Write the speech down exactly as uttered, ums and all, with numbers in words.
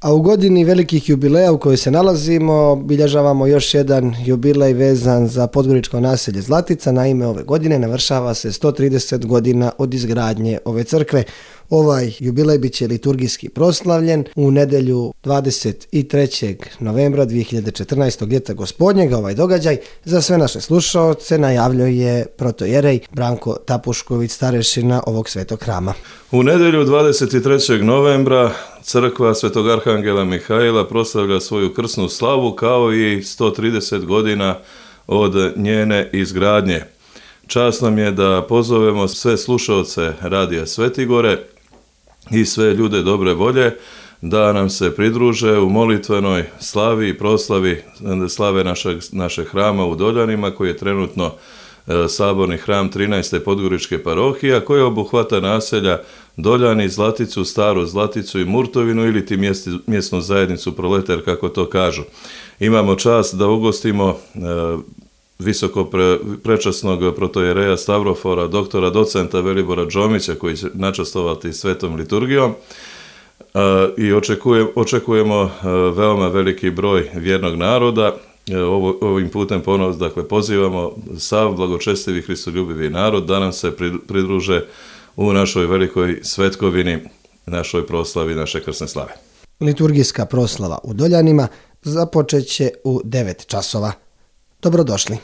A u godini velikih jubileja u kojoj se nalazimo, obilježavamo još jedan jubilej vezan za podgoričko naselje Zlatica. Naime, ove godine navršava se sto trideset godina od izgradnje ove crkve. Ovaj jubilej bit će liturgijski proslavljen u nedjelju dvadeset trećeg novembra dvije hiljade četrnaestog. ljeta gospodnjega. Ovaj događaj za sve naše slušaoce najavljuje protojerej Branko Tapušković, starešina ovog svetog hrama. U nedjelju dvadeset trećeg novembra crkva Svetog Arhangela Mihaila proslavlja svoju krsnu slavu kao i sto trideset godina od njene izgradnje. Čast nam je da pozovemo sve slušaoce Radija Svetigore i sve ljude dobre volje da nam se pridruže u molitvenoj slavi i proslavi slave našeg, našeg hrama u Doljanima, koji je trenutno e, saborni hram trinaeste podgoričke parohije, koji obuhvata naselja Doljani, Zlaticu, Staru Zlaticu i Murtovinu ili ti mjesti, mjesnu zajednicu Proleter, kako to kažu. Imamo čast da ugostimo e, visoko pre, prečasnog protojereja Stavrofora, doktora docenta Velibora Džomića, koji će načastovati svetom liturgijom. Uh, i očekujem, očekujemo uh, veoma veliki broj vjernog naroda. Uh, ovo, ovim putem ponovno dakle, pozivamo sav blagočestivi hristoljubivi narod da nam se pridruže u našoj velikoj svetkovini, našoj proslavi, naše krsne slave. Liturgijska proslava u Doljanima započet će u devet časova. Dobrodošli.